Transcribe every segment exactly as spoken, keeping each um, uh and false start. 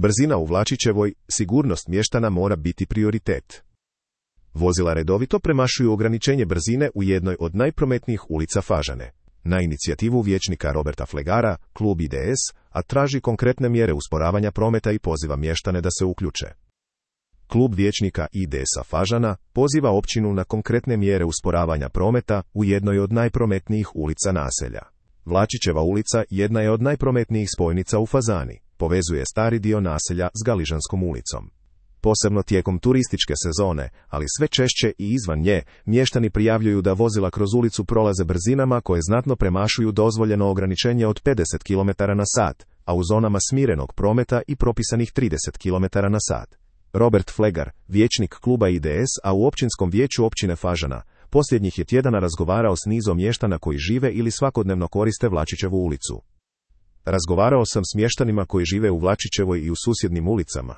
Brzina u Vlačićevoj, sigurnost mještana mora biti prioritet. Vozila redovito premašuju ograničenje brzine u jednoj od najprometnijih ulica Fažane. Na inicijativu vijećnika Roberta Flegara, klub I D S, a traži konkretne mjere usporavanja prometa i poziva mještane da se uključe. Klub vijećnika I D S-a Fažana poziva općinu na konkretne mjere usporavanja prometa u jednoj od najprometnijih ulica naselja. Vlačićeva ulica jedna je od najprometnijih spojnica u Fazani, povezuje stari dio naselja s Galižanskom ulicom. Posebno tijekom turističke sezone, ali sve češće i izvan nje, mještani prijavljuju da vozila kroz ulicu prolaze brzinama koje znatno premašuju dozvoljeno ograničenje od pedeset kilometara na sat, a u zonama smirenog prometa i propisanih trideset kilometara na sat. Robert Flegar, vijećnik kluba I D S, a u općinskom vijeću općine Fažana, posljednjih je tjedana razgovarao s nizom mještana koji žive ili svakodnevno koriste Vlačićevu ulicu. Razgovarao sam s mještanima koji žive u Vlačićevoj i u susjednim ulicama.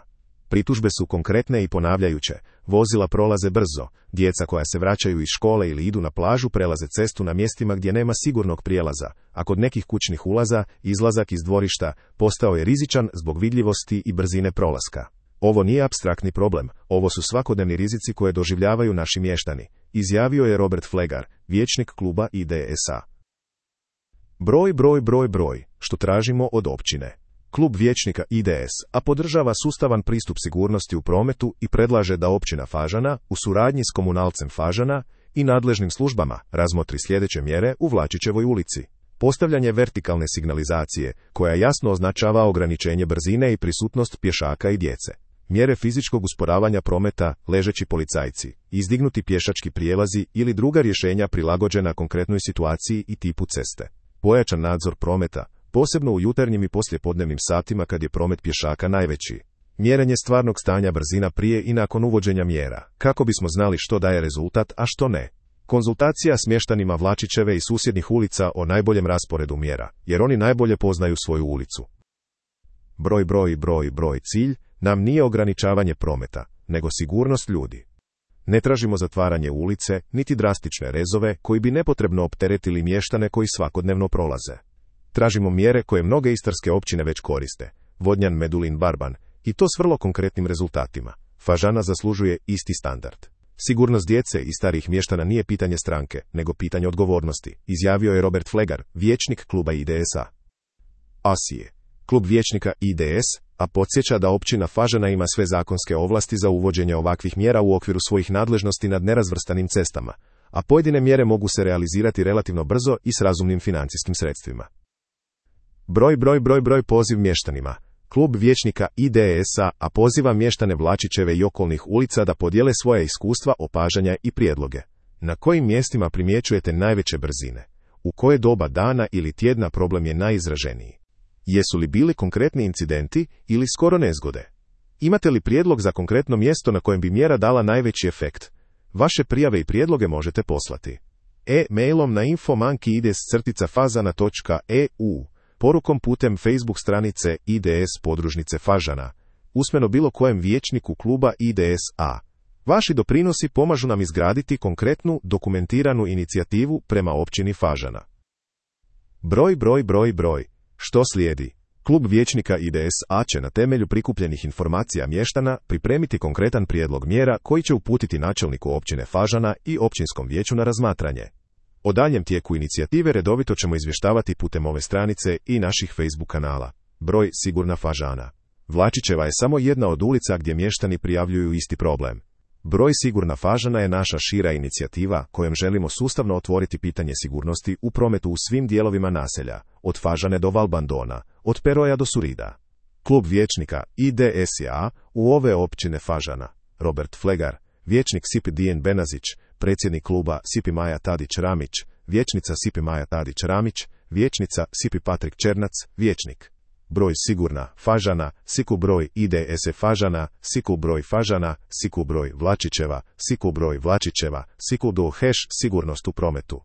Pritužbe su konkretne i ponavljajuće, vozila prolaze brzo, djeca koja se vraćaju iz škole ili idu na plažu prelaze cestu na mjestima gdje nema sigurnog prijelaza, a kod nekih kućnih ulaza, izlazak iz dvorišta postao je rizičan zbog vidljivosti i brzine prolaska. Ovo nije apstraktni problem, ovo su svakodnevni rizici koje doživljavaju naši mještani, izjavio je Robert Flegar, vijećnik kluba I D S-a. Broj, broj, broj, broj, što tražimo od općine. Klub vijećnika I D S, a podržava sustavan pristup sigurnosti u prometu i predlaže da općina Fažana, u suradnji s komunalcem Fažana i nadležnim službama, razmotri sljedeće mjere u Vlačićevoj ulici. Postavljanje vertikalne signalizacije, koja jasno označava ograničenje brzine i prisutnost pješaka i djece. Mjere fizičkog usporavanja prometa, ležeći policajci, izdignuti pješački prijelazi ili druga rješenja prilagođena konkretnoj situaciji i tipu ceste. Pojačan nadzor prometa, posebno u jutarnjim i poslijepodnevnim satima kad je promet pješaka najveći. Mjerenje stvarnog stanja brzina prije i nakon uvođenja mjera, kako bismo znali što daje rezultat, a što ne. Konzultacija s mještanima Vlačićeve i susjednih ulica o najboljem rasporedu mjera, jer oni najbolje poznaju svoju ulicu. Broj, broj, broj, broj, cilj nam nije ograničavanje prometa, nego sigurnost ljudi. Ne tražimo zatvaranje ulice, niti drastične rezove koji bi nepotrebno opteretili mještane koji svakodnevno prolaze. Tražimo mjere koje mnoge istarske općine već koriste, Vodnjan, Medulin, Barban, i to s vrlo konkretnim rezultatima. Fažana zaslužuje isti standard. Sigurnost djece i starih mještana nije pitanje stranke, nego pitanje odgovornosti, izjavio je Robert Flegar, vijećnik kluba I D S-a. Asije. Klub vijećnika I D S, a podsjeća da općina Fažana ima sve zakonske ovlasti za uvođenje ovakvih mjera u okviru svojih nadležnosti nad nerazvrstanim cestama, a pojedine mjere mogu se realizirati relativno brzo i s razumnim financijskim sredstvima. Broj, broj, broj, broj, poziv mještanima. Klub vijećnika I D S-a, a poziva mještane Vlačićeve i okolnih ulica da podijele svoja iskustva, opažanja i prijedloge. Na kojim mjestima primjećujete najveće brzine? U koje doba dana ili tjedna problem je najizraženiji? Jesu li bili konkretni incidenti ili skoro nezgode? Imate li prijedlog za konkretno mjesto na kojem bi mjera dala najveći efekt? Vaše prijave i prijedloge možete poslati e-mailom na info manki ides crtica fazana točka e u, porukom putem Facebook stranice I D S podružnice Fažana, usmeno bilo kojem vijećniku kluba I D S-a. Vaši doprinosi pomažu nam izgraditi konkretnu, dokumentiranu inicijativu prema općini Fažana. Broj, broj, broj, broj. Što slijedi? Klub vijećnika I D S-a će na temelju prikupljenih informacija mještana pripremiti konkretan prijedlog mjera koji će uputiti načelniku općine Fažana i općinskom vijeću na razmatranje. O daljem tijeku inicijative redovito ćemo izvještavati putem ove stranice i naših Facebook kanala. Broj, sigurna Fažana. Vlačićeva je samo jedna od ulica gdje mještani prijavljuju isti problem. Broj, sigurna Fažana je naša šira inicijativa kojom želimo sustavno otvoriti pitanje sigurnosti u prometu u svim dijelovima naselja, od Fažane do Valbandona, od Peroja do Surida. Klub vijećnika I D S-a u ove općine Fažana. Robert Flegar, vijećnik S I P Dijen Benazić, predsjednik kluba S I P Maja Tadić-Ramić, vijećnica S I P Maja Tadić-Ramić, vijećnica S I P Patrik Černac, vijećnik. Broj, sigurna Fažana, siku broj I D S Fažana, siku broj Fažana, siku broj Vlačićeva, siku broj Vlačićeva, siku do hash sigurnost u prometu.